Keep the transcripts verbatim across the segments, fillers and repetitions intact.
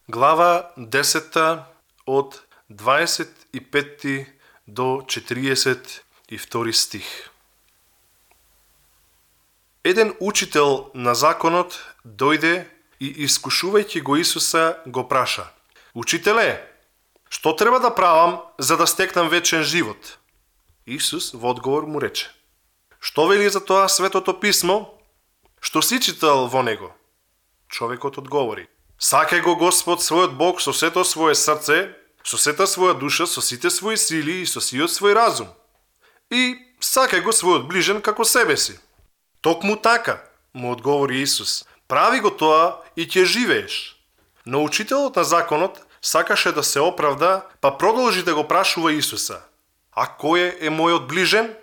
Глава десета од дваесет и петти до четириесет и втори стих. Еден учител на законот дојде и искушувајќи го Исуса го праша: Учителе, што треба да правам за да стекнам вечен живот? Исус во одговор му рече: Што вели за тоа Светото писмо? Што си читал во него? Човекот одговори: Сакај го Господ својот Бог со сето свое срце, со сета своја душа, со сите своји сили и со сиот свој разум. И сакај го својот ближен како себе си. Токму така, му одговори Исус, прави го тоа и ќе живееш. Но учителот на законот сакаше да се оправда, па продолжи да го прашува Исуса: А кој е мојот ближен?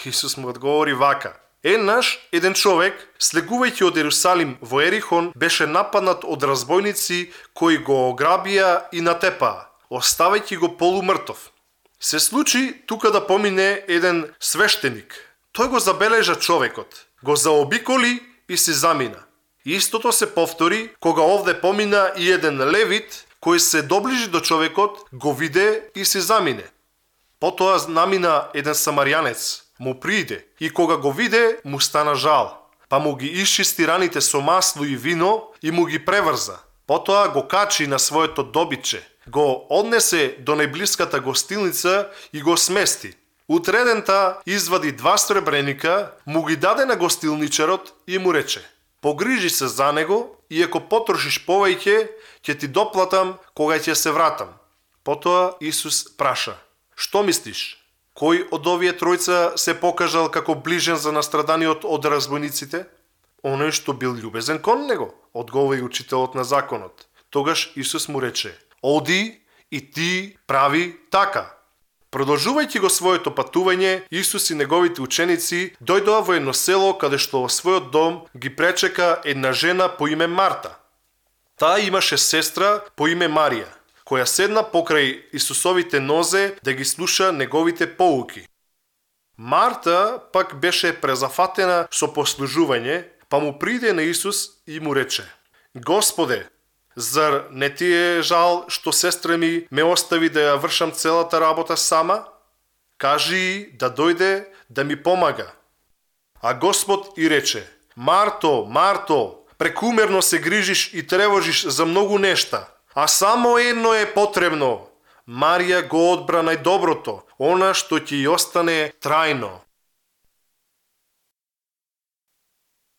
Исус му одговори вака: Еднаш, еден човек, слегувајќи од Ерусалим во Ерихон, беше нападнат од разбойници кои го ограбија и натепаа, оставајќи го полумртов. Се случи тука да помине еден свештеник. Тој го забележа човекот, го заобиколи и се замина. Истото се повтори кога овде помина и еден левит, кој се доближи до човекот, го виде и се замине. Потоа намина еден самарјанец, му прииде и кога го виде, му стана жал, па му ги исчисти раните со масло и вино и му ги преврза. Потоа го качи на своето добитче, го однесе до најблиската гостилница и го смести. Утредента извади два сребреника, му ги даде на гостилничарот и му рече: Погрижи се за него и ако потрошиш повеќе, ќе ти доплатам кога ќе се вратам. Потоа Исус праша: Што мислиш? Кој од овие тројца се покажал како ближен за настраданиот од разбойниците? Оној што бил љубезен кон него, одговори учителот на законот. Тогаш Исус му рече: Оди и ти прави така. Продолжувајќи го своето патување, Исус и неговите ученици дојдоа во едно село каде што во својот дом ги пречека една жена по име Марта. Таа имаше сестра по име Марија, која седна покрај Исусовите нозе да ги слуша неговите поуки. Марта пак беше презафатена со послужување, па му приде на Исус и му рече: Господе, зар не ти е жал што сестра ми ме остави да ја вршам целата работа сама? Кажи да дојде да ми помага. А Господ и рече: Марто, Марто, прекумерно се грижиш и тревожиш за многу нешта, а само едно е потребно. Марија го одбра најдоброто, она што ќе ја остане трајно.